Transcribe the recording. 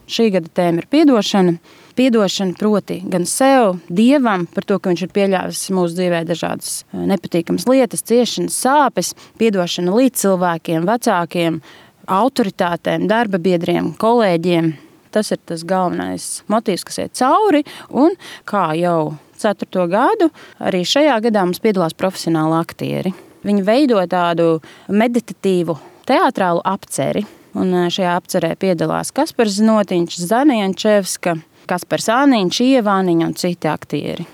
Šī gada tēma ir piedošana. Piedošana proti gan sev, Dievam, par to, ka viņš ir pieļāvis mūsu dzīvē dažādas nepatīkamas lietas, ciešanas, sāpes, piedošana līdz cilvēkiem, vecākiem, autoritātēm, darba biedriem, kolēģiem. Tas ir tas galvenais motīvs, kas iet cauri, un kā jau 4. gadu, arī šajā gadā mums piedalās profesionāli aktieri. Viņi veido tādu meditatīvu teātrālu apceri, un šajā apcerē piedalās Kaspars Znotiņš, Zana Jančevska, Kaspars Āniņš, Ieva Āniņa un citi aktieri.